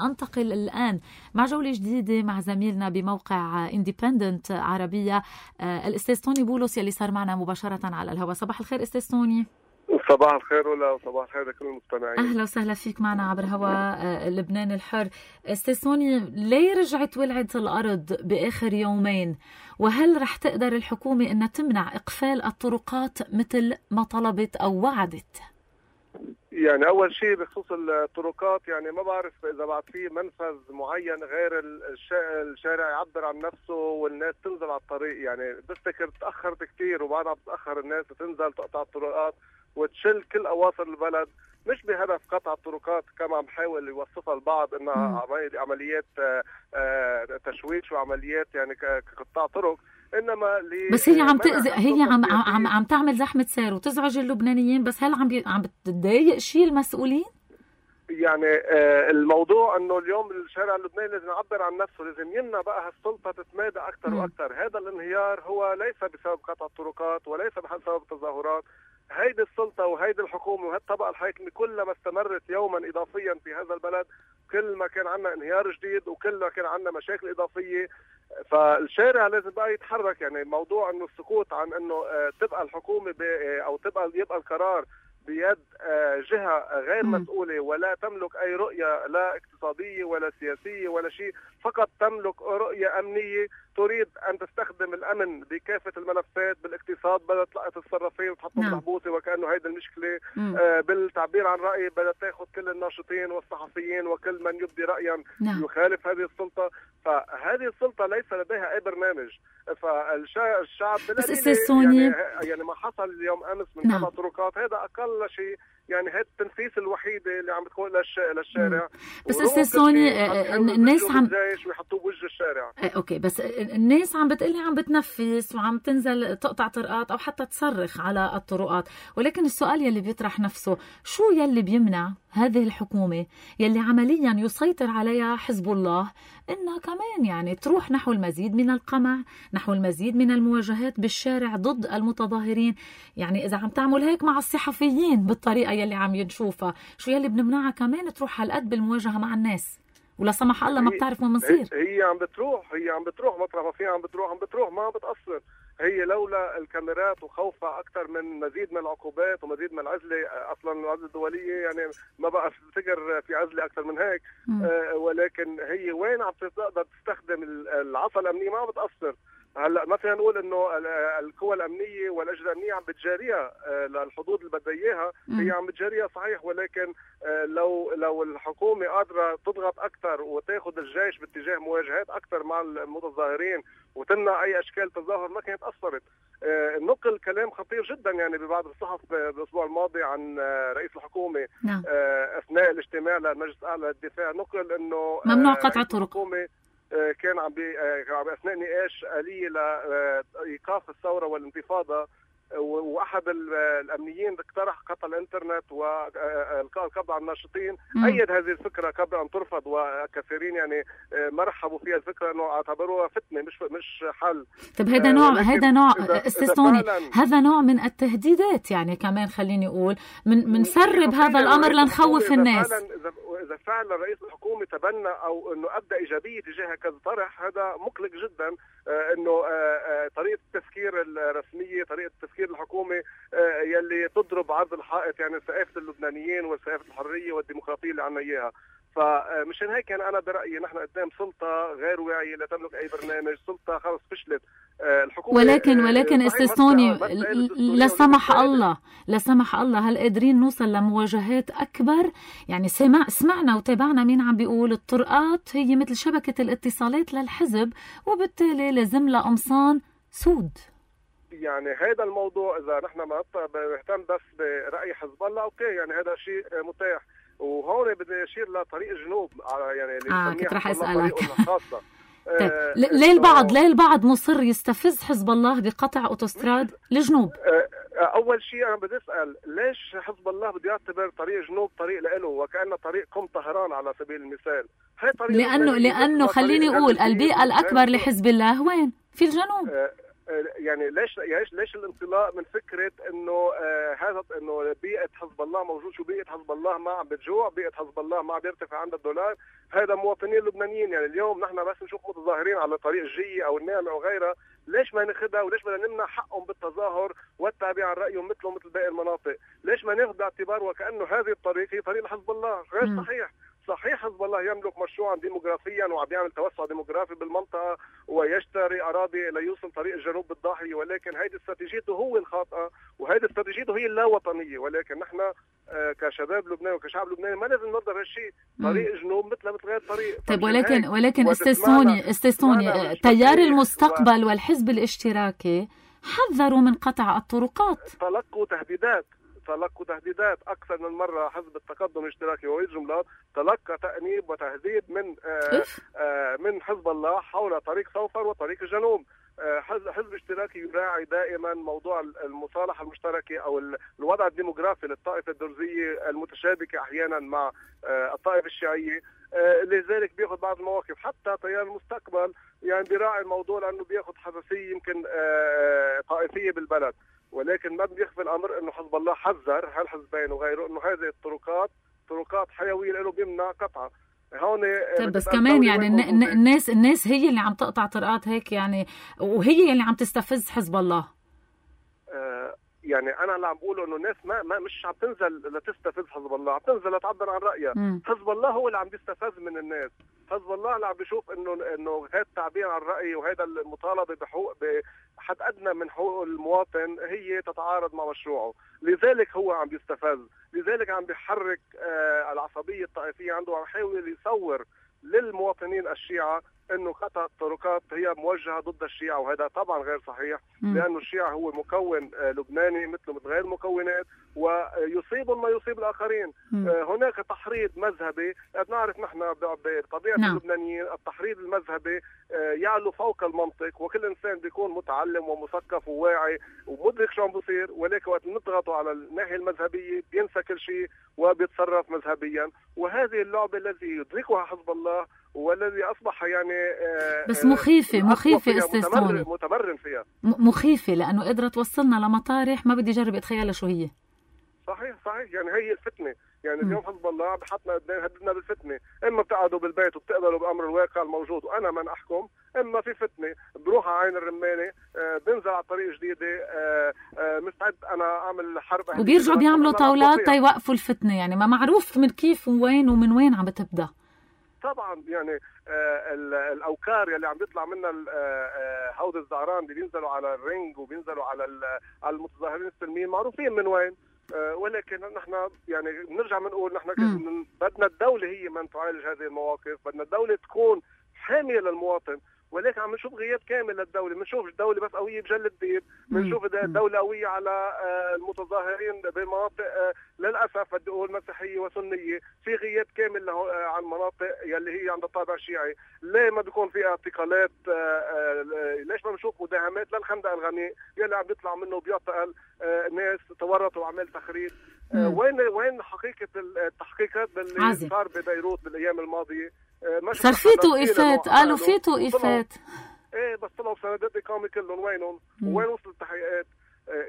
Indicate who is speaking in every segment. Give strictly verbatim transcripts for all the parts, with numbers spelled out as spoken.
Speaker 1: أنتقل الآن مع جولة جديدة مع زميلنا بموقع إنديبندنت عربية الأستاذ توني بولس يلي صار معنا مباشرة على الهواء. صباح الخير أستاذ توني.
Speaker 2: صباح الخير ولا وصباح الخير لكل المستمعين.
Speaker 1: أهلا وسهلا فيك معنا عبر هواء لبنان الحر. أستاذ توني، ليه رجعت ولعت الأرض بآخر يومين؟ وهل رح تقدر الحكومة أن تمنع إقفال الطرقات مثل ما طلبت أو وعدت؟
Speaker 2: يعني أول شيء بخصوص الطرقات، يعني ما بعرف إذا بعد في منفذ معين غير الشارع يعبر عن نفسه والناس تنزل على الطريق. يعني بفتكر تأخرت كتير وبعدها بتأخر الناس تنزل تقطع الطرقات وتشل كل أواصر البلد، مش بهدف قطع الطرقات كما عم بحاول يوصفها البعض انها عمليات تشويش وعمليات يعني كقطاع طرق، انما
Speaker 1: بس هي عم تأذي، هي عم عم عم تعمل زحمه سير وتزعج اللبنانيين. بس هل عم بي... عم بتضايق شيء المسؤولين؟
Speaker 2: يعني آه الموضوع انه اليوم الشارع اللبناني لازم يعبر عن نفسه، لازم يمنع بقى هالسلطه تتمادى اكثر واكثر. هذا الانهيار هو ليس بسبب قطع الطرقات وليس بسبب التظاهرات. هيدي السلطه وهيدي الحكومه وهالطبقه الحاكمه كلما استمرت يوما اضافيا في هذا البلد، كل ما كان عندنا انهيار جديد وكل ما كان عندنا مشاكل اضافيه. فالشارع لازم بقى يتحرك. يعني موضوع انه السكوت عن انه تبقى الحكومه او تبقى يبقى القرار بيد جهة غير مسؤولة ولا تملك أي رؤية لا اقتصادية ولا سياسية ولا شيء، فقط تملك رؤية أمنية تريد أن تستخدم الأمن بكافة الملفات. بالاقتصاد بدأت تلقط الصرافين وتحطهم
Speaker 1: نعم.
Speaker 2: محبوسة وكأنه هيدا المشكلة. آه بالتعبير عن رأي بدأت تأخذ كل الناشطين والصحفيين وكل من يبدي رأيا
Speaker 1: نعم.
Speaker 2: يخالف هذه السلطة. فهذه السلطة ليس لديها أي برنامج. فالشعب
Speaker 1: بس يعني,
Speaker 2: يعني ما حصل اليوم أمس من
Speaker 1: نعم.
Speaker 2: قطع طرقات هذا أقل شيء، يعني هي التنفيس الوحيدة اللي عم بتكون للشارع.
Speaker 1: بس أستاذ سوني، الناس عم
Speaker 2: ويحطوه بوجه الشارع.
Speaker 1: أوكي، بس الناس عم بتقلي عم بتنفس وعم تنزل تقطع طرقات أو حتى تصرخ على الطرقات، ولكن السؤال يلي بيطرح نفسه، شو يلي بيمنع هذه الحكومة يلي عمليا يسيطر عليها حزب الله إنها كمان يعني تروح نحو المزيد من القمع، نحو المزيد من المواجهات بالشارع ضد المتظاهرين؟ يعني إذا عم تعمل هيك مع الصحفيين بالطريقة يلي عم ينشوفها، شو يلي بنمنعها كمان تروح هالقد بالمواجهة مع الناس؟ ولا سمح الله ما بتعرف وين بنصير.
Speaker 2: هي عم بتروح هي عم بتروح مطرح ما فيها عم بتروح عم بتروح ما بتقصر. هي لولا الكاميرات وخوفها أكثر من مزيد من العقوبات ومزيد من العزلة، أصلا العزلة الدولية يعني ما بقى افتكر في عزلة أكثر من هيك. آه ولكن هي وين عم تقدر تستخدم العصا الأمنية ما بتقصر. هلا ما فينا نقول انه القوى الامنيه والاجهزه الامنيه عم بتجاريها للحدود اللي بدها اياها، هي عم بتجاريها صحيح، ولكن لو لو الحكومه قادره تضغط اكثر وتاخذ الجيش باتجاه مواجهات اكثر مع المتظاهرين وتمنع اي اشكال تظاهر ما كانت اثرت. نقل كلام خطير جدا يعني ببعض الصحف بالاسبوع الماضي عن رئيس الحكومه
Speaker 1: نعم.
Speaker 2: اثناء الاجتماع للمجلس الاعلى للدفاع، نقل انه
Speaker 1: ممنوع قطع الطرق.
Speaker 2: كان عم بي اثناء نقاش آلية لايقاف الثوره والانتفاضه، واحد الامنيين اقترح قطع الانترنت والقبض على الناشطين. ايد هذه الفكره قبل ان ترفض، وكثيرين يعني ما رحبوا فيها الفكره انه اعتبروها فتنه مش مش حل.
Speaker 1: طيب هذا نوع هذا نوع استاذ هذا نوع من التهديدات يعني كمان خليني اقول من منسرب هذا الامر لنخوف الناس.
Speaker 2: اذا اذا فعلا رئيس الحكومه تبنى او انه ابدا ايجابيه تجاه كذا طرح، هذا مقلق جدا. انه طريقه التفكير الرسميه، طريقه تفكير الحكومه يلي تضرب عرض الحائط يعني ثقافه اللبنانيين وثقافه الحريه والديمقراطيه اللي عنا اياها. فمشان هيك يعني انا برايي نحن قدام سلطه غير واعيه لا تملك اي برنامج، سلطه خلص فشلت الحكومه.
Speaker 1: ولكن ولكن استاذ توني، لا سمح الله لا سمح الله هل قادرين نوصل لمواجهات اكبر؟ يعني سمع سمعنا وتابعنا مين عم بيقول الطرقات هي مثل شبكه الاتصالات للحزب وبالتالي لازم لها قمصان سود.
Speaker 2: يعني هذا الموضوع اذا نحن ما بنهتم بس براي حزب الله اوكي، يعني هذا شيء متاح. وهون بدي اشير لطريق الجنوب يعني اللي
Speaker 1: اه كنت رح اسالك
Speaker 2: الخاصه.
Speaker 1: طيب آه ليه البعض ليه البعض مصر يستفز حزب الله بقطع اوتوستراد الجنوب؟
Speaker 2: آه اول شيء انا بدي اسال ليش حزب الله بده يعتبر طريق جنوب طريق له وكانه طريق قم طهران على سبيل المثال؟ هي طريق
Speaker 1: لانه لانه خليني اقول البيئه الاكبر لحزب الله وين؟ في الجنوب.
Speaker 2: آه يعني ليش ليش ليش الانطلاق من فكره انه آه هذا انه بيئه حزب الله موجود؟ شو بيئه حزب الله ما عم بتجوع؟ بيئه حزب الله ما عم بيرتفع عندها الدولار؟ هذا مواطنين لبنانيين. يعني اليوم نحن بس نشوف متظاهرين على طريق الجية او النعمه او غيرها، ليش ما ناخذها وليش بدنا نمنع حقهم بالتظاهر والتعبير عن رايهم مثلهم مثل باقي المناطق؟ ليش ما ناخذ باعتبار وكانه هذه الطريق هي طريق حزب الله؟ غير م. صحيح. صحيح حزب الله يملك مشروعا ديموغرافيا وعم يعمل توسع ديموغرافي بالمنطقه ويشتري اراضي ليوصل طريق الجنوب بالضاحيه، ولكن هيدي استراتيجيته هو الخاطئه وهيدي استراتيجيته هي اللاوطنيه. ولكن نحن آه كشباب لبنان وكشعب لبناني ما لازم نرضى بهالشيء. طريق جنوب مثل مثل غير طريق.
Speaker 1: طيب ولكن ولكن استاذوني استاذوني تيار المستقبل و... والحزب الاشتراكي حذروا من قطع الطرقات،
Speaker 2: تلقوا تهديدات تلقوا تهديدات أكثر من مرة. حزب التقدم الاشتراكي ووليد جملات تلقى تأنيب وتهديد من آآ آآ من حزب الله حول طريق صوفر وطريق الجنوب. حزب اشتراكي يراعي دائما موضوع المصالحة المشتركة أو الوضع الديموغرافي للطائفة الدرزية المتشابكة أحيانا مع الطائفة الشيعية، لذلك بياخذ بعض المواقف. حتى تيار المستقبل يعني بيراعي الموضوع لأنه بياخذ حساسية يمكن طائفية بالبلد، ولكن ما بيخفي الامر انه حزب الله حذر هالحزبين وغيره انه هذه الطرقات طرقات حيويه له بيمنع قطعها. هون
Speaker 1: طيب بس كمان يعني الناس الناس هي اللي عم تقطع طرقات هيك يعني، وهي اللي عم تستفز حزب الله.
Speaker 2: آه يعني انا اللي عم بقوله انه الناس ما, ما مش عم تنزل لتستفز حزب الله، عم تنزل لتعبر عن رايها. م. حزب الله هو اللي عم بيستفز من الناس. حزب الله اللي عم بيشوف انه انه هذا التعبير عن الراي وهذا المطالبه بحقوق بحد ادنى من حقوق المواطن هي تتعارض مع مشروعه، لذلك هو عم بيستفز، لذلك عم بيحرك آه العصبيه الطائفيه عنده، وعم يحاول يصور للمواطنين الشيعة انه قطع الطرقات هي موجهه ضد الشيعة، وهذا طبعا غير صحيح. م. لانه الشيعة هو مكون لبناني مثله مثل غير المكونات ويصيبهم ما يصيب الاخرين. م. هناك تحريض مذهبي، نعرف نحن بطبيعه نعم. اللبنانيين التحريض المذهبي يعلو فوق المنطق، وكل انسان بيكون متعلم ومثقف وواعي ومدرك شو عم بيصير، ولكن وقت نضغطوا على الناحيه المذهبيه بينسى كل شيء وبيتصرف مذهبيا. وهذه اللعبه التي يدركها حزب الله والذي اصبح يعني
Speaker 1: بس مخيفه مخيفه استاذ
Speaker 2: متمرن فيها،
Speaker 1: مخيفه لانه قدرت توصلنا لمطارح ما بدي اجرب اتخيلها شو هي.
Speaker 2: صحيح صحيح يعني هي الفتنه. يعني اليوم حزب الله بحطنا قدام هددنا بالفتنه، اما بتقعدوا بالبيت وبتقبلوا بامر الواقع الموجود وانا من احكم، اما في فتنه بروح على عين الرمانه، آه بنزل على طريق جديده، آه آه مستعد انا اعمل حرب،
Speaker 1: وبيرجعوا بيعملوا طاولات تيوقفوا الفتنه. يعني ما معروف من كيف وين ومن وين عم بتبدا.
Speaker 2: طبعا يعني آه الاوكار يلي عم بيطلع منها آه هود الزعران اللي بينزلوا على الرينج وبينزلوا على على المتظاهرين السلميين معروفين من وين. آه ولكن نحن يعني بنرجع بنقول نحن بدنا الدوله هي من تعالج هذه المواقف، بدنا الدوله تكون حاميه للمواطن، ولكن عم نشوف غياب كامل للدوله. بنشوف الدوله بس قويه بجلد ديب، بنشوف الدوله قويه على المتظاهرين بمناطق للاسف بدي اقول مسيحيه وسنيه، في غياب كامل له عن مناطق يلي هي عند الطابع الشيعي. ليه ما بيكون في اعتقالات؟ ليش ما بنشوف مداهمات للخندق الغني يلي عم بيطلع منه بيعتقل ناس تورطوا وعمل تخريب؟ وين وين حقيقه التحقيقات باللي صار ببيروت بالايام الماضيه؟
Speaker 1: صار في توقيفات، قالوا في توقيفات.
Speaker 2: ايه بس طلعوا سندات اقامه كلهم وينهم؟ وين وصلت التحقيقات؟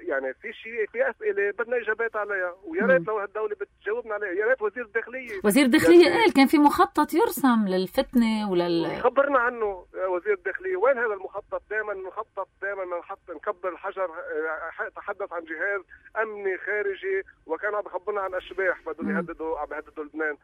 Speaker 2: يعني في شيء في اسئله بدنا اجابات عليها، ويا ريت لو هالدوله بتجاوبنا عليها. يا ريت وزير الداخليه
Speaker 1: وزير الداخليه قال كان في مخطط يرسم للفتنه ولل
Speaker 2: خبرنا عنه وزير الداخليه. وين هذا المخطط؟ دائما المخطط دائما نحط نكبر الحجر. تحدث عن جهاز امني خارجي وكان عم يخبرنا عن اشباح بدهم يهددوا عم يهددوا لبنان.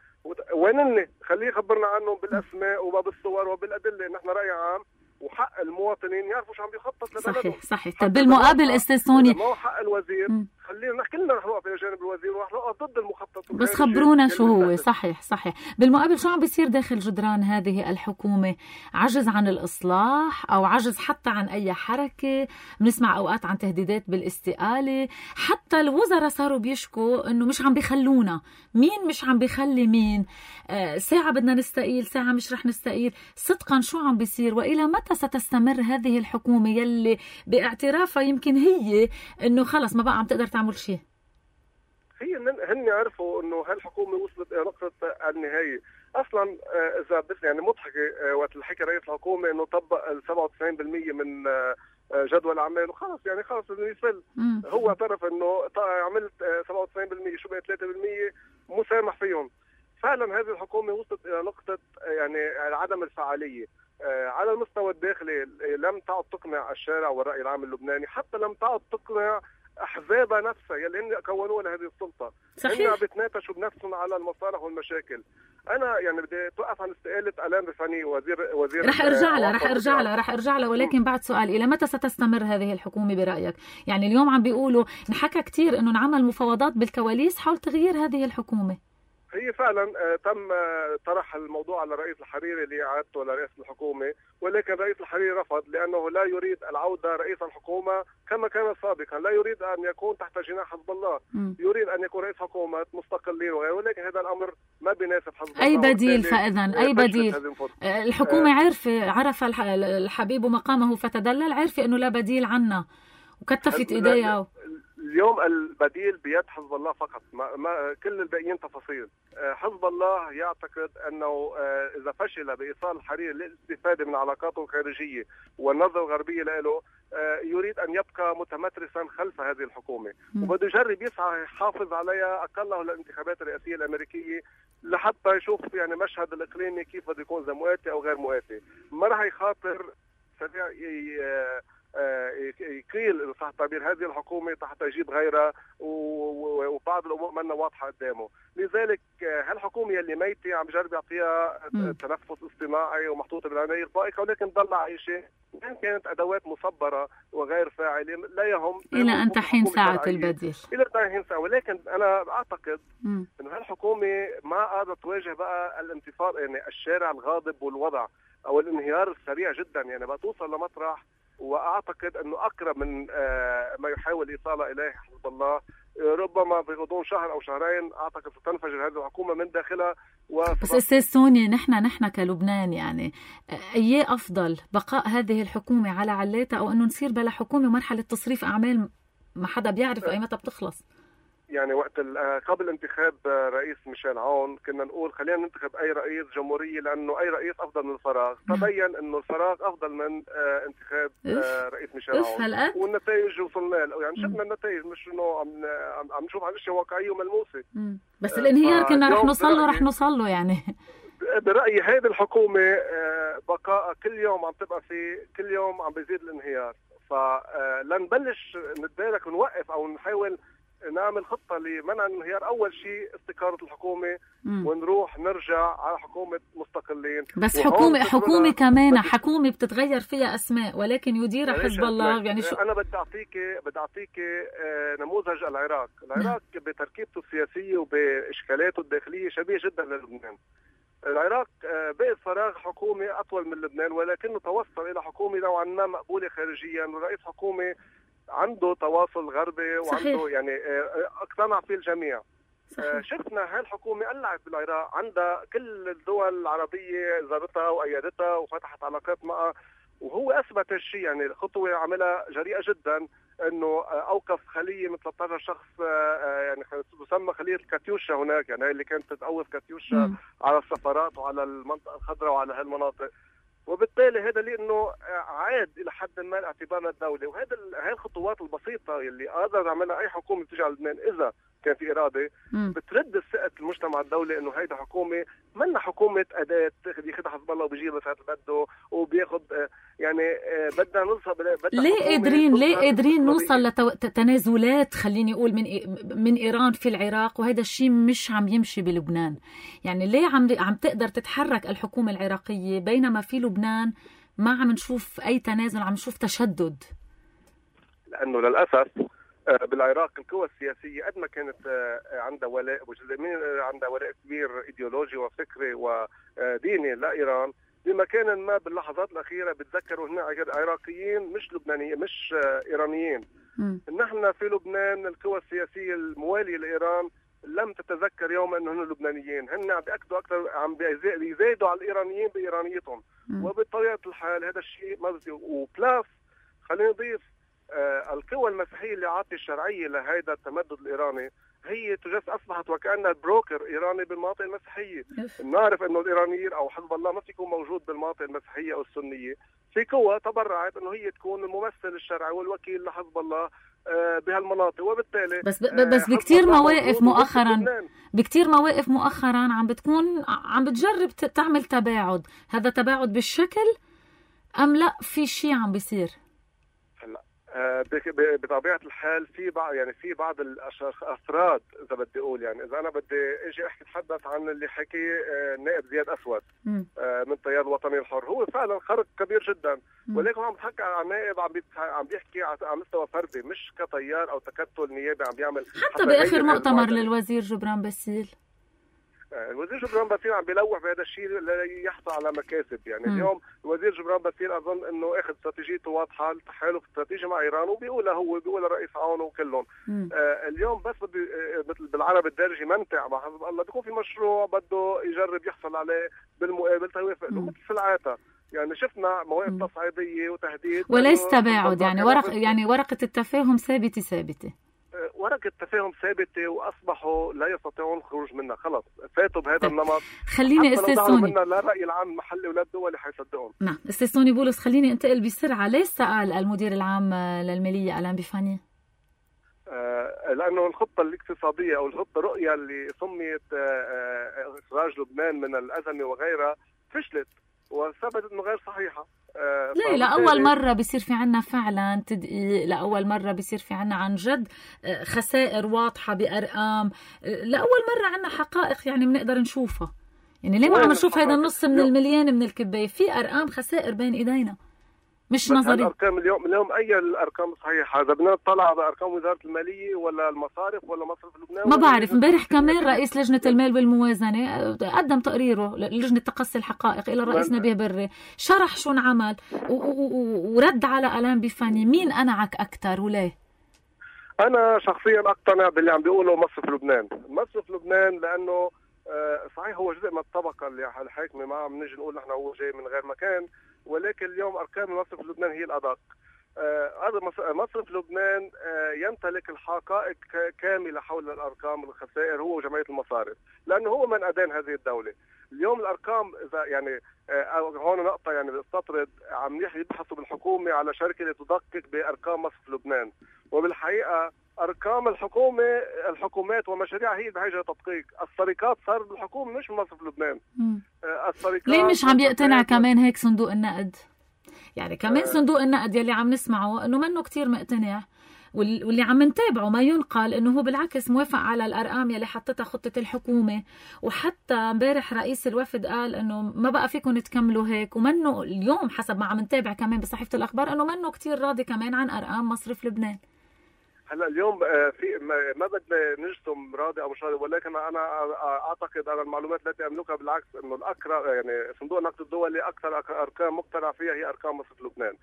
Speaker 2: وين هن؟ خليه يخبرنا عنهم بالاسماء وبالصور وبالادله. نحن راي عام وحق المواطنين يعرفوا شو عم بيخطط لبلدهم.
Speaker 1: صحيح صحيح. طب بالمقابل استاذ سوني
Speaker 2: ما هو حق الوزير، خلينا كلنا رح نوقف الى جانب الوزير ورح نوقف ضد المخطط.
Speaker 1: بس خبرونا شو هو. صحيح صحيح. بالمقابل شو عم بيصير داخل جدران هذه الحكومه؟ عجز عن الاصلاح او عجز حتى عن اي حركه؟ بنسمع اوقات عن تهديدات بالاستقاله، حتى الوزراء صاروا بيشكوا انه مش عم بيخلونا. مين مش عم بيخلي مين؟ آه ساعه بدنا نستقيل، ساعه مش رح نستقيل. صدقا شو عم بيصير؟ والى متى ستستمر هذه الحكومه يلي باعترافها يمكن هي انه خلص ما بقى عم تقدر تعمل شيء؟
Speaker 2: هي هن عرفوا انه هالحكومه وصلت الى نقطه النهايه. اصلا اذا بس يعني مضحكه وقت الحكي رئيس الحكومه انه طبق ال سبعة وتسعين بالمئة من جدول اعمال وخلص يعني خلص انه يفل. هو اعترف انه عملت سبعة وتسعين بالمئة شو بقى ثلاثة بالمئة مسامح فيهم. فعلا هذه الحكومه وصلت الى نقطه يعني عدم الفعاليه على المستوى الداخلي. لم تعد تقنع الشارع والراي العام اللبناني، حتى لم تعد تقنع احزابها نفسها يلي هن كونوا لها هذه السلطه.
Speaker 1: صحيح.
Speaker 2: هن بتناقشوا بنفسهم على المصالح والمشاكل. انا يعني بدي توقف عن استقاله الان رفاني وزير وزير
Speaker 1: رح ارجع لها رح ارجع لها رح ارجع لها ولكن بعد سؤال، الى متى ستستمر هذه الحكومه برايك؟ يعني اليوم عم بيقولوا انحكى كثير انه انعمل مفاوضات بالكواليس حول تغيير هذه الحكومه.
Speaker 2: هي فعلا تم طرح الموضوع على رئيس الحريري لإعادته لرئيس الحكومة، ولكن رئيس الحريري رفض لأنه لا يريد العودة رئيس الحكومة كما كان سابقا. لا يريد أن يكون تحت جناح حزب الله، م. يريد أن يكون رئيس حكومة مستقلين وغيره، ولكن هذا الأمر ما بيناسب حزب
Speaker 1: أي
Speaker 2: الله.
Speaker 1: أي بديل فإذا أي بديل؟ الحكومة عرف عرف الحبيب مقامه فتدلل، عرف أنه لا بديل عنا وكتفت إيديها.
Speaker 2: اليوم البديل بيد حزب الله فقط، ما, ما كل الباقيين تفاصيل. حزب الله يعتقد انه اذا فشل بايصال الحريري للاستفاده من علاقاته الخارجيه والنظره الغربيه له، يريد ان يبقى متمترسا خلف هذه الحكومه، وبده يجرب يسعى يحافظ عليها اقله للانتخابات الرئاسيه الامريكيه لحتى يشوف يعني مشهد الاقليمي كيف بده يكون، اذا مواتي او غير مواتي. ما راح يخاطر سريع يقيل إذا صح التعبير هذه الحكومة حتى يجيب غيرها، وبعض الأمور منا واضحة قدامه. لذلك هالحكومة اللي ميتة عم جرب يعطيها تنفس اصطناعي ومحطوطة بالعناية الفائقة، ولكن ضل عايشة إن كانت أدوات مصبرة وغير فاعلة لا يهم
Speaker 1: إلى أن تحين ساعة البديل.
Speaker 2: إلى أن تحين ساعة، ولكن أنا أعتقد إنه هالحكومة ما قادرة تواجه بقى الانتفاضة، يعني الشارع الغاضب والوضع أو الانهيار السريع جدا، يعني بقى توصل لمطرح. واعتقد انه اقرب من ما يحاول ايصاله اليه حزب الله. ربما في غضون شهر او شهرين اعتقد ستنفجر هذه الحكومه من داخلها.
Speaker 1: بس استاذ سوني، نحن نحن كلبنان يعني اي افضل بقاء هذه الحكومه على علاتها او انه نصير بلا حكومه ومرحله تصريف اعمال ما حدا بيعرف اي متى بتخلص؟ يعني
Speaker 2: وقت قبل انتخاب رئيس ميشيل عون كنا نقول خلينا ننتخب اي رئيس جمهوريه لانه اي رئيس افضل من الفراغ. تبين انه الفراغ افضل من انتخاب رئيس ميشيل عون، والنتائج وصلنا له. يعني شفنا النتائج، مش انه عم عم نشوف عن اشياء واقعيه وملموسه.
Speaker 1: بس الانهيار كنا رح نوصل له رح نوصل له يعني
Speaker 2: برايي هذه الحكومه بقاء كل يوم عم تبقى في كل يوم عم بيزيد الانهيار. فلنبلش نتدارك ونوقف او نحاول نعمل خطة لمنع الانهيار. أول شيء استقالة الحكومة مم. ونروح نرجع على حكومة مستقلين.
Speaker 1: بس حكومة حكومة كمان حكومة بتتغير فيها أسماء ولكن يديرها حزب الله. يعني شو
Speaker 2: أنا بدي أعطيك بدي أعطيك نموذج العراق. العراق بتركيبته السياسية وبإشكالاته الداخلية شبيه جدا للبنان. العراق بقي فراغ حكومي أطول من لبنان، ولكنه توصل إلى حكومة نوعا ما مقبولة خارجيا، ورئيس حكومة عنده تواصل غربي وعنده صحيح. يعني اقتنع فيه الجميع. صحيح. شفنا هالحكومة قلعت بالعراق، عندها كل الدول العربية زارتها وأيدتها وفتحت علاقات معها، وهو أثبت هالشيء. يعني خطوة عملها جريئة جدا، انه اوقف خليه من ثلاثة عشر شخص، يعني تسمى خليه الكاتيوشا هناك، يعني اللي كانت تتأوف كاتيوشا م. على السفارات وعلى المنطقة الخضراء وعلى هالمناطق. وبالتالي هذا لانه عاد الى حد ما اعتبارنا الدوله. وهذا هاي الخطوات البسيطه اللي قادر تعملها اي حكومه بتيجي على لبنان اذا كان في اراده م. بترد ثقه المجتمع الدولي انه هيدا حكومه منا حكومه اداه تاخذ ياخذها حزب الله وبيجيب بس هذا بده وبياخذ. يعني بدنا نوصل
Speaker 1: ليه قادرين ليه قادرين نوصل لتنازلات خليني اقول من من ايران في العراق، وهذا الشيء مش عم يمشي بلبنان. يعني ليه عم عم تقدر تتحرك الحكومه العراقيه بينما في لبنان ما عم نشوف اي تنازل، عم نشوف تشدد؟
Speaker 2: لانه للاسف بالعراق القوى السياسيه قد ما كانت عندها ولاء وجزء من عندها ولاء كبير ايديولوجي وفكري وديني لايران، بمكان ما باللحظات الاخيره بتذكروا هنا عراقيين مش لبنانيين مش ايرانيين. م. نحن في لبنان القوى السياسيه المواليه لايران لم تتذكر يوما انه هن لبنانيين، هن عم بياكدوا اكثر، عم بيزايدوا على الايرانيين بايرانيتهم. م. وبطبيعه الحال هذا الشيء مزدي. وبلاس خلينا نضيف آه القوى المسيحيه اللي عاطي الشرعيه لهذا التمدد الايراني هي تجس اصبحت وكانها بروكر ايراني بالمناطق المسيحيه. نعرف انه الايرانيين او حزب الله ما في يكون موجود بالمناطق المسيحيه او السنيه، في قوى تبرعت انه هي تكون الممثل الشرعي والوكيل لحزب الله بهالمناطق، وبالتالي
Speaker 1: بس ب... بس بكثير مواقف مؤخرا بكثير مواقف مؤخرا عم بتكون عم بتجرب تعمل تباعد، هذا تباعد بالشكل ام لا في شيء عم بيصير؟
Speaker 2: هلا بطبيعه الحال في بعض يعني في بعض الافراد اذا بدي اقول يعني اذا انا بدي اجي احكي اتحدث عن اللي حكي النائب زياد اسود من تيار الوطني الحر، هو فعلا خرق كبير جدا، ولكن عم بحكي عن نائب عم عم بيحكي على مستوى فردي مش كتيار او تكتل نيابي عم بيعمل.
Speaker 1: حتى باخر مؤتمر للوزير جبران باسيل
Speaker 2: الوزير جبران باسيل عم بيلوح بهذا الشيء ليحصل على مكاسب. يعني م. اليوم الوزير جبران باسيل اظن انه اخذ استراتيجيته واضحه، التحالف استراتيجي مع ايران، وبيقولها هو بيقولها الرئيس عون وكلهم. آه اليوم بس بدي مثل بالعربي الدارجه يمنتع مع حزب الله، بيكون في مشروع بده يجرب يحصل عليه بالمقابل توافق له مثل سلعاتها. يعني شفنا مواقف تصعيديه وتهديد
Speaker 1: وليس تباعد، يعني ورق يعني ورقه التفاهم ثابته ثابته
Speaker 2: ورقة التفاهم ثابتة وأصبحوا لا يستطيعون الخروج منها، خلص فاتوا بهذا النمط.
Speaker 1: خليني استاذ سوني
Speaker 2: لا الرأي العام المحلي ولا الدولي حيصدقهم.
Speaker 1: نعم استاذ سوني بولس، خليني انتقل بسرعة، ليش سأل المدير العام للمالية ألان بيفاني؟
Speaker 2: آه لأنه الخطة الاقتصادية أو الخطة الرؤية اللي سميت آه إخراج لبنان من الأزمة وغيرها فشلت وثبتت انه غير صحيحه.
Speaker 1: آه ليه لأول مرة بيصير في عنا فعلا تدقيق، لأول مرة بيصير في عنا عن جد خسائر واضحة بأرقام، لأول مرة عنا حقائق يعني بنقدر نشوفها. يعني ليه ما عم نشوف هيدا النص من المليان من الكباية؟ في أرقام خسائر بين إيدينا مش نظري.
Speaker 2: الأرقام اليوم اليوم أي الأرقام صحيحة؟ إذا بدنا نطلع بأرقام وزارة المالية ولا المصارف ولا مصرف لبنان
Speaker 1: ما بعرف. امبارح كمان رئيس لجنة المال والموازنة قدم تقريره للجنة تقصي الحقائق إلى الرئيس نبيه بري، شرح شو انعمل ورد على ألان بيفاني. مين أنعك أكتر وليه؟
Speaker 2: أنا شخصيا أقتنع باللي عم بيقوله مصرف لبنان. مصرف لبنان لأنه صحيح هو جزء من الطبقة اللي الحاكمة، ما عم نجي نقول نحن هو جاي من غير مكان، ولكن اليوم أرقام مصرف لبنان هي الأدق. هذا آه مصرف لبنان آه يمتلك الحقائق كاملة حول الأرقام والخسائر هو وجمعية المصارف، لأنه هو من أدان هذه الدولة. اليوم الأرقام إذا يعني آه هون نقطة يعني بستطرد، عم يبحثوا بالحكومة على شركة لتدقق بأرقام مصرف لبنان، وبالحقيقة أرقام الحكومة الحكومات ومشاريعها هي بحاجة لتدقيق. السرقات صار بالحكومة مش مصرف لبنان.
Speaker 1: آه السرقات ليه مش عم يقتنع كمان هيك صندوق النقد؟ يعني كمان آه. صندوق النقد يلي عم نسمعه انه منه كتير مقتنع، واللي عم نتابعه ما ينقل انه هو بالعكس موافق على الارقام يلي حطتها خطة الحكومة. وحتى امبارح رئيس الوفد قال انه ما بقى فيكم تكملوا هيك، ومنه اليوم حسب ما عم نتابع كمان بصحيفة الاخبار انه منه كتير راضي كمان عن ارقام مصرف لبنان.
Speaker 2: هلا اليوم في ما بدنا نجزم راضي او مش راضي، ولكن انا اعتقد على المعلومات التي املكها بالعكس انه الاقرب يعني صندوق النقد الدولي اكثر ارقام مقتنع فيها هي ارقام مصرف لبنان.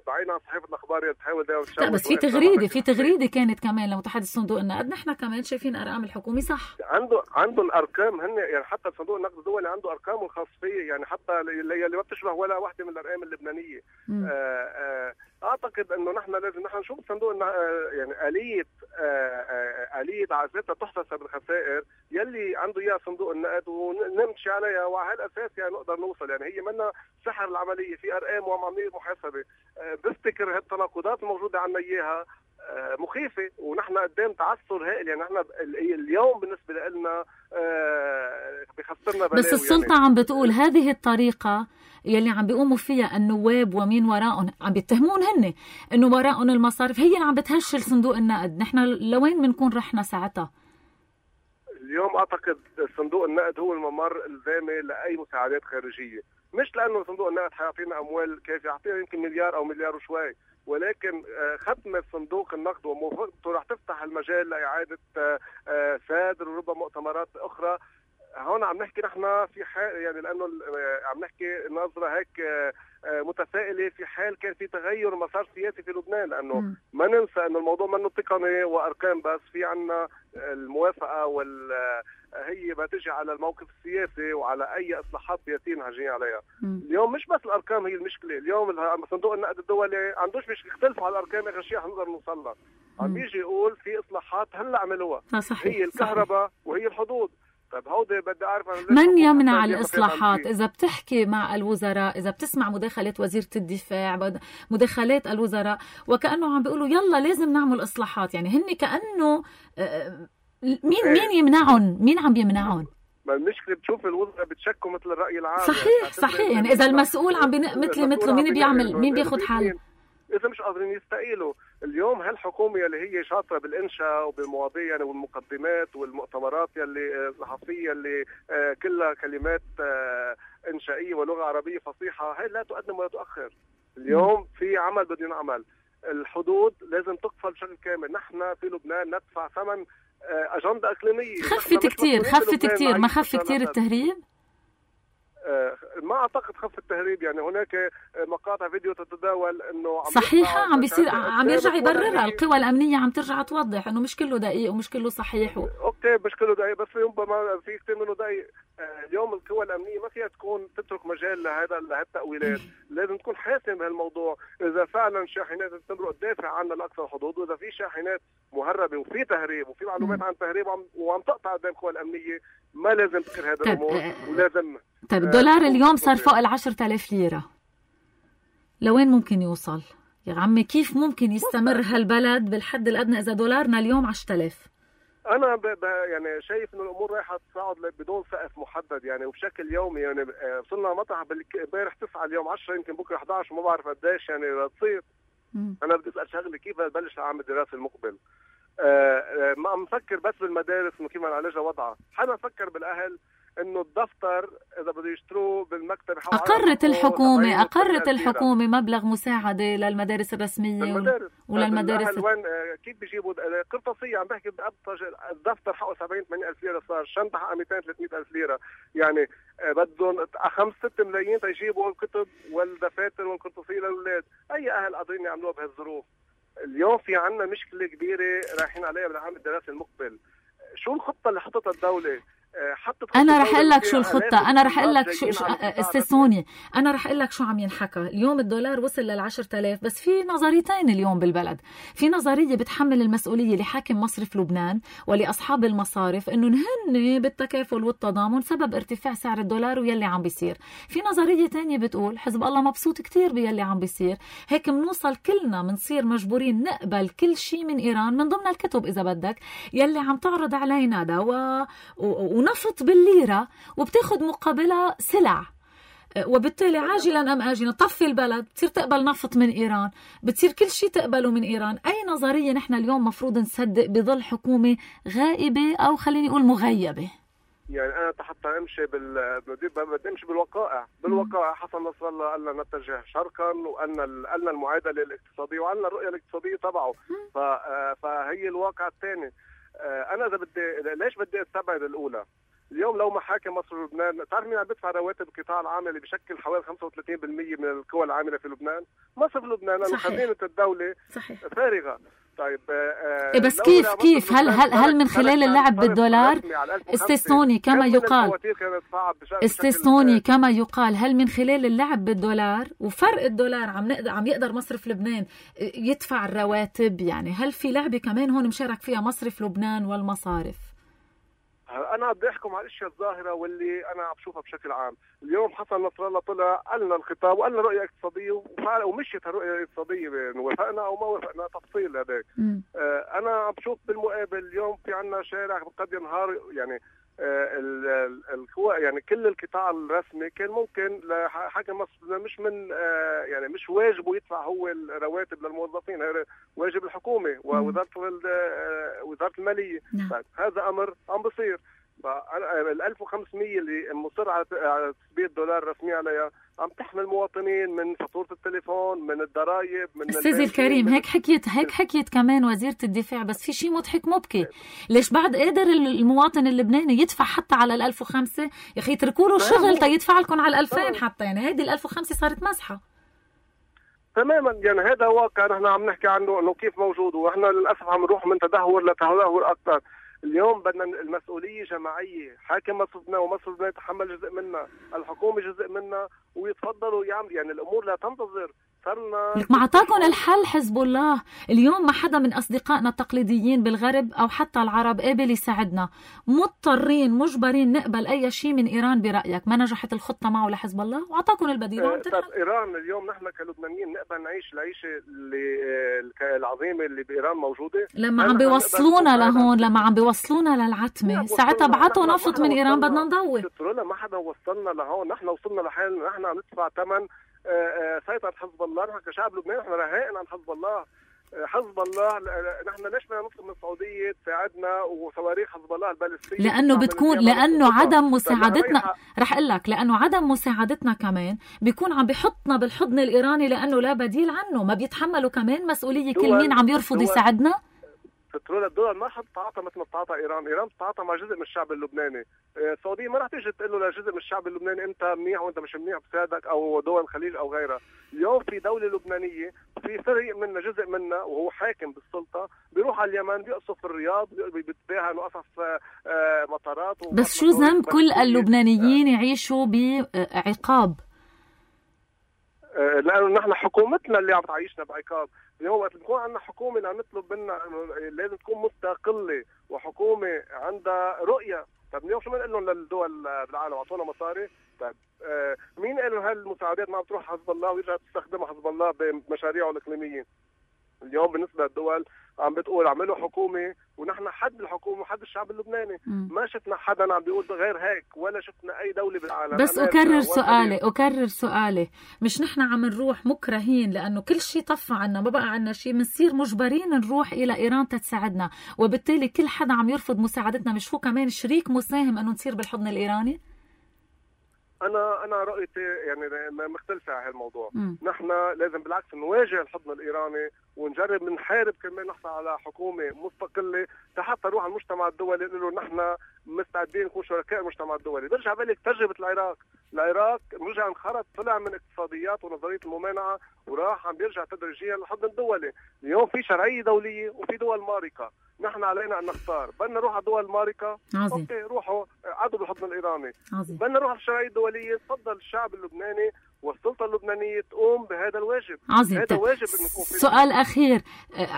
Speaker 2: بعيدا عن صحيفه الاخبار اللي بتحاول دائما
Speaker 1: لا بس في تغريده في تغريده كانت كمان لمتحدث صندوق النقد، نحن كمان شايفين ارقام الحكومه صح.
Speaker 2: عنده عنده الارقام هن يعني حتى صندوق النقد الدولي عنده ارقام الخاص فيه، يعني حتى اللي ما بتشبه ولا واحده من الارقام اللبنانيه. آآ آآ اعتقد انه نحن لازم نحن نشوف صندوق يعني اليه اليه عزتها تحتسب الخسائر يلي عنده اياها صندوق النقد ونمشي عليها، وعلى هالاساس يعني نقدر نوصل. يعني هي منا سحر العمليه، في ارقام وعمليه محاسبه. بفتكر هالتناقضات الموجوده عنا اياها مخيفه، ونحن قدام تعثر هائل. يعني نحن اليوم بالنسبه لنا بخسرنا بلاوي.
Speaker 1: بس السلطه يعني عم بتقول هذه الطريقه يلي عم بيقوموا فيها النواب ومين وراءهم، عم بيتهمون هن انه وراءهم المصارف، هي اللي عم بتهشل صندوق النقد. نحن لوين بنكون رحنا ساعتها؟
Speaker 2: اليوم اعتقد صندوق النقد هو الممر الزامي لاي مساعدات خارجيه، مش لانه صندوق النقد حيعطينا اموال كافيه، يعطينا يمكن مليار او مليار وشوي، ولكن ختمه صندوق النقد وموافقته رح تفتح المجال لاعاده سادر وربما مؤتمرات اخرى. هون عم نحكي نحن في حال يعني لانه عم نحكي نظره هيك متفائله في حال كان في تغير مسار سياسي في لبنان، لانه م. ما ننسى انه الموضوع منه تقني وارقام بس، في عنا الموافقه وال هي بتجي على الموقف السياسي وعلى اي اصلاحات سياسيه نهجين عليها.
Speaker 1: م.
Speaker 2: اليوم مش بس الارقام هي المشكله، اليوم صندوق النقد الدولي عندوش مش يختلفوا على الارقام اخر شيء حنقدر نوصل لها. عم يجي يقول في اصلاحات هلا عملوها،
Speaker 1: صحيح.
Speaker 2: هي الكهرباء وهي الحدود. طيب هودي بدي اعرف
Speaker 1: من يمنع الاصلاحات؟ اذا بتحكي مع الوزراء، اذا بتسمع مداخلات وزيره الدفاع، مداخلات الوزراء، وكانه عم بيقولوا يلا لازم نعمل اصلاحات، يعني هن كانه مين مين يمنعهم؟ مين عم يمنعهم؟
Speaker 2: ما المشكله بتشوف الوزراء بتشكوا مثل الراي العام.
Speaker 1: صحيح يعني صحيح يعني اذا المسؤول عم مثلي مثله مين بيعمل؟ مين بياخذ حل؟
Speaker 2: إذا مش قادرين يستقيلوا. اليوم هالحكومة اللي هي شاطرة بالإنشاء وبالمواضيع يعني والمقدمات والمؤتمرات يلي صحفية اللي كلها كلمات إنشائية ولغة عربية فصيحة، هاي لا تقدم ولا تؤخر. اليوم في عمل بده ينعمل، الحدود لازم تقفل بشكل كامل. نحن في لبنان ندفع ثمن أجندة إقليمية.
Speaker 1: خفت كتير خفت كتير ما خف كتير التهريب؟
Speaker 2: ما اعتقد خف التهريب، يعني هناك مقاطع فيديو تتداول انه عم
Speaker 1: صحيحه عم بيصير عم يرجع يبررها، القوى الامنيه عم ترجع توضح انه مش كله دقيق ومش كله صحيح و...
Speaker 2: اوكي مش كله دقيق، بس ربما في كثير منه دقيق. اليوم القوى الامنيه ما فيها تكون تترك مجال لهذا لهالتاويلات، لازم تكون حاسم بهالموضوع. اذا فعلا شاحنات تمرق تدافع عنها لاقصى الحدود، واذا في شاحنات مهربه وفي تهريب وفي معلومات عن تهريب وعم, وعم تقطع قدام القوى الامنيه، ما لازم تذكر هذا الامور ولازم.
Speaker 1: طيب الدولار اليوم صار فوق العشرة آلاف ليرة، لوين ممكن يوصل؟ يا عمي كيف ممكن يستمر هالبلد بالحد الأدنى إذا دولارنا اليوم عشرة آلاف؟
Speaker 2: أنا ب ب يعني شايف إنه الأمور رايحة تصاعد بدون سقف محدد يعني وبشكل يومي. يعني وصلنا مطرح امبارح تسعة اليوم عشرة يمكن بكرة إحدى عشر وما بعرف قديش يعني رح تصير. أنا بدي أسأل شغلة، كيف بلش العام الدراسي المقبل؟ آه ما عم نفكر بس بالمدارس إنه كيف نعالجها وضعها، حنا نفكر بالأهل إنه الدفتر إذا بده يشتروه بالمكتب.
Speaker 1: أقرت الحكومة أقرت الحكومة مبلغ مساعدة للمدارس الرسمية
Speaker 2: للمدارس.
Speaker 1: وللمدارس
Speaker 2: وين كيف بيجيبوا قرطاسية؟ عم بحكي بأبسط، الدفتر حقه سبعين ثمانين ألف ليرة صار، الشنطة حقها مئتين ثلاثمئة ألف ليرة، يعني بدهم خمسة ستة ملايين تيجيبوا الكتب والدفاتر والقرطاسية للأولاد. أي أهل قادرين يعملوها بهالظروف؟ اليوم في عنا مشكلة كبيرة رايحين عليها بالعام الدراسي المقبل. شو الخطة اللي حطتها الدولة؟
Speaker 1: انا رح اقول لك شو الخطه، انا رح اقول لك شو, شو استثنوني انا رح اقول لك شو عم ينحكى. اليوم الدولار وصل للعشرة آلاف، بس في نظريتين اليوم بالبلد. في نظريه بتحمل المسؤوليه لحاكم مصرف لبنان ولاصحاب المصارف انه هن بالتكافل والتضامن سبب ارتفاع سعر الدولار ويلي عم بيصير. في نظريه تانية بتقول حزب الله مبسوط كتير بيلي عم بيصير، هيك منوصل كلنا منصير مجبورين نقبل كل شيء من ايران، من ضمن الكتب اذا بدك يلي عم تعرض علينا دواء و... ونفط بالليرة وبتاخد مقابلها سلع، وبالتالي عاجلا أم آجلا طفي البلد بتصير تقبل نفط من إيران، بتصير كل شيء تقبله من إيران. أي نظرية نحن اليوم مفروض نصدق بظل حكومة غائبة أو خليني أقول مغيبة؟
Speaker 2: يعني أنا حتى أمشي بال بدي أمشي بالوقائع بالوقائع حسن نصر الله قال لنا نتجه شرقا، وقالنا قالنا المعادلة الاقتصادية وقالنا الرؤية الاقتصادية تبعه. ف... فهي الواقع الثاني. أنا إذا بدي ليش بدي أستبعد الأولى؟ اليوم لو محاكم مصر ولبنان، تعرف مين عم بدفع رواتب القطاع العام اللي بشكل حوالي خمسة وثلاثين بالمئة من القوى العاملة في لبنان؟ مصر لبنان، لأنه خزينة الدولة صحيح. فارغة. طيب
Speaker 1: آه بس كيف كيف هل هل هل من خلال اللعب بالدولار؟ استثنوني كما يقال استثنوني كما يقال هل من خلال اللعب بالدولار وفرق الدولار عم نقدر عم يقدر مصرف لبنان يدفع الرواتب؟ يعني هل في لعبة كمان هون مشارك فيها مصرف لبنان والمصارف؟
Speaker 2: أنا بدي أحكم على الأشياء الظاهرة واللي أنا عم بشوفها بشكل عام. اليوم حسن نصر الله طلع قالنا الخطاب وقالنا رؤية اقتصادية وفعلا ومشيت الرؤية الاقتصادية، وافقنا أو ما وافقنا تفصيل هذاك. آه أنا عم بشوف بالمقابل اليوم في عنا شارع قد ينهار، يعني القوى يعني كل القطاع الرسمي كان ممكن لحاكم مصر مش من يعني مش واجبه يدفع هو الرواتب للموظفين، واجب الحكومة ووزارة وزارة المالية. هذا أمر عم بصير. ال ألف وخمسمئة اللي مصر على تثبيت الدولار الرسمي عليها عم تحمل مواطنين من فاتورة التليفون، من الضرائب، من
Speaker 1: أستاذ الكريم. هيك حكيت هيك حكيت كمان وزيرة الدفاع، بس في شيء مضحك مبكي. ليش بعد قادر المواطن اللبناني يدفع حتى على الألف وخمسة؟ يا أخي اتركوا له الشغل تيدفع لكم على الألفين حتى، يعني هيدي الألف وخمسة صارت مسحة
Speaker 2: تماما. يعني هذا واقع نحن عم نحكي عنه انه كيف موجود، ونحن للاسف عم نروح من تدهور لتدهور اكثر. اليوم بدنا المسؤولية جماعية، حاكم مصر لبنان ومصر لبنان يتحمل جزء منها، الحكومة جزء منها، ويتفضلوا يعمل يعني الأمور لا تنتظر. صرنا
Speaker 1: لك ما عطاكم الحل حزب الله. اليوم ما حدا من أصدقائنا التقليديين بالغرب أو حتى العرب قابل يساعدنا، مضطرين مجبرين نقبل أي شيء من إيران. برأيك ما نجحت الخطة معه لحزب الله وعطاكم البديل وعم
Speaker 2: تنحل؟ طب إيران اليوم نحن كلبنانيين نقبل نعيش العيشة اللي العظيمة اللي بإيران موجودة؟
Speaker 1: لما عم بيوصلونا لهون، لما عم بيوصلونا للعتمة، ساعتها بعتوا نفط من إيران بدنا نضوي.
Speaker 2: لا ما حدا وصلنا لهون، نحن وصلنا لحالنا، نحن عم ندفع ثمن سيطرة حزب الله. نحن كشعب لبناني نحن رهائن عن حزب الله. حزب الله نحن ليش بدنا نطلب من السعودية تساعدنا وصواريخ حزب الله البالستية؟
Speaker 1: لأنه بتكون لأنه عدم مساعدتنا، رح أقول لك لأنه عدم مساعدتنا كمان بيكون عم بيحطنا بالحضن الإيراني، لأنه لا بديل عنه. ما بيتحملوا كمان مسؤولية كل مين عم يرفض يساعدنا؟
Speaker 2: فترول الدول ما حتتعاطى مثل ما بتتعاطى ايران، ايران بتتعاطى مع جزء من الشعب اللبناني. السعوديه ما رح تيجي تقول له لجزء من الشعب اللبناني انت منيح وانت مش منيح بساعدك، او دول الخليج او غيرها. اليوم في دوله لبنانيه في فريق منا جزء منا وهو حاكم بالسلطه بيروح على اليمن بيقصف الرياض بيتباهى انه قصف مطارات.
Speaker 1: بس شو ذنب كل اللبنانيين يعيشوا بعقاب؟
Speaker 2: لانه نحن حكومتنا اللي عم تعيشنا بعقاب. اليوم وقت نكون عندنا حكومه اللي عم نطلب منها لازم تكون مستقله وحكومه عندها رؤيه. طب اليوم شو بنقول لهم للدول بالعالم اعطونا مصاري؟ طيب آه مين قال لهم هالمساعدات ما عم تروح حزب الله ويرجع تستخدمها حزب الله بمشاريعه الاقليميه؟ اليوم بالنسبه للدول عم بتقول اعملوا حكومه ونحن حد الحكومه وحد الشعب اللبناني. م. ما شفنا حدا عم بيقول غير هيك، ولا شفنا اي دوله بالعالم.
Speaker 1: بس اكرر سؤالي اكرر سؤالي مش نحن عم نروح مكرهين لانه كل شيء طفى عنا، ما بقى عنا شيء، بنصير مجبرين نروح الى ايران تتساعدنا، وبالتالي كل حدا عم يرفض مساعدتنا مش هو كمان شريك مساهم انه نصير بالحضن الايراني؟
Speaker 2: انا انا رؤيتي يعني مختلفه على هالموضوع. م. نحن لازم بالعكس نواجه الحضن الايراني ونجرب نحارب كمان نحصل على حكومه مستقله حتى نروح على المجتمع الدولي نقول له نحن مستعدين نكون شركاء المجتمع الدولي. برجع بالك تجربه العراق، العراق رجع انخرط طلع من اقتصاديات ونظريه الممانعه وراح عم بيرجع تدريجيا للحضن الدولي. اليوم في شرعيه دوليه وفي دول مارقه، نحن علينا ان نختار. بدنا نروح على دول مارقه اوكي روحوا عدوا بالحضن الايراني. بدنا نروح على الشرعيه الدوليه، تفضل الشعب اللبناني والسلطه اللبنانيه تقوم بهذا الواجب.
Speaker 1: عظيم.
Speaker 2: هذا واجب انه يكون في.
Speaker 1: سؤال اخير،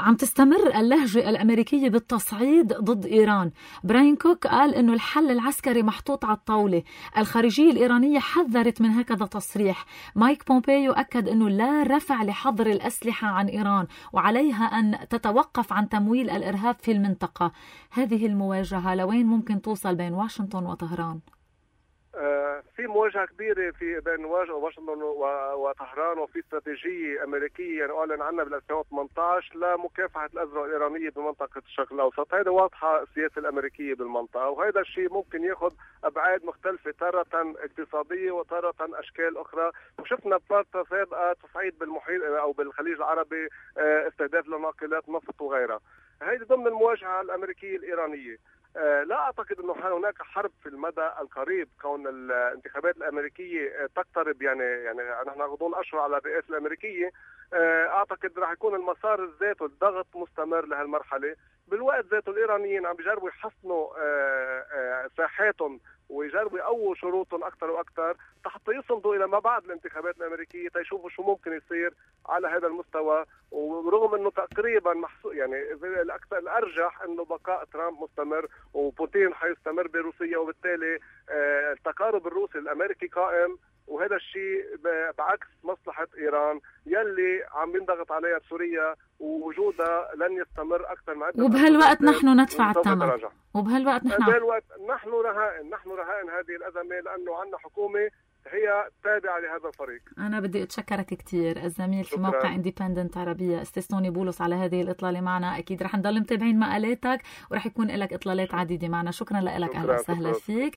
Speaker 1: عم تستمر اللهجه الامريكيه بالتصعيد ضد ايران. براين كوك قال انه الحل العسكري محطوط على الطاوله، الخارجيه الايرانيه حذرت من هكذا تصريح. مايك بومبيو اكد انه لا رفع لحظر الاسلحه عن ايران وعليها ان تتوقف عن تمويل الارهاب في المنطقه. هذه المواجهه لوين ممكن توصل بين واشنطن وطهران؟
Speaker 2: في مواجهة كبيرة في بين واشنطن وطهران، وفي استراتيجية أمريكية يعني أعلن عنها بال ألفين وثمانية عشر لمكافحة الأزمة الإيرانية بمنطقة الشرق الأوسط. هذا واضحة السياسة الأمريكية بالمنطقة، وهذا الشيء ممكن يأخذ أبعاد مختلفة، تارة اقتصادية وتارة أشكال أخرى. وشفنا بفترة سابقة تصعيد بالمحيط أو بالخليج العربي، استهداف لناقلات نفط وغيرها. هذه ضمن المواجهة الأمريكية الإيرانية. آه لا أعتقد أنه هناك حرب في المدى القريب، كون الانتخابات الأمريكية تقترب يعني يعني نحن غضون أشهر على الرئاسة الأمريكية. آه أعتقد راح يكون المسار ذاته الضغط مستمر لهالمرحلة. بالوقت ذاته الإيرانيين عم بيجربوا يحسنوا آه آه ساحاتهم ويجربوا يقووا شروطهم أكثر وأكثر حتى يصمدوا إلى ما بعد الانتخابات الأمريكية تيشوفوا شو ممكن يصير على هذا المستوى. ورغم أنه تقريبا محسوب يعني الأكثر الأرجح أنه بقاء ترامب مستمر وبوتين حيستمر بروسيا، وبالتالي آه التقارب الروسي الأمريكي قائم، وهذا الشيء بعكس مصلحة إيران يلي عم ينضغط عليها سوريا ووجودها لن يستمر أكثر من عدة.
Speaker 1: وبهالوقت نحن ندفع الثمن، وبهالوقت نحن
Speaker 2: بهالوقت نحن رهائن نحن رهائن هذه الأزمة، لأنه عندنا حكومة هي تابعة لهذا الفريق.
Speaker 1: أنا بدي أتشكرك كثير الزميل في موقع انديبندنت عربية أستاذ توني بولس على هذه الإطلالة معنا. أكيد رح نضل متابعين مقالاتك ورح يكون لك إطلالات عديدة معنا. شكرا لك، أهلا وسهلا فيك.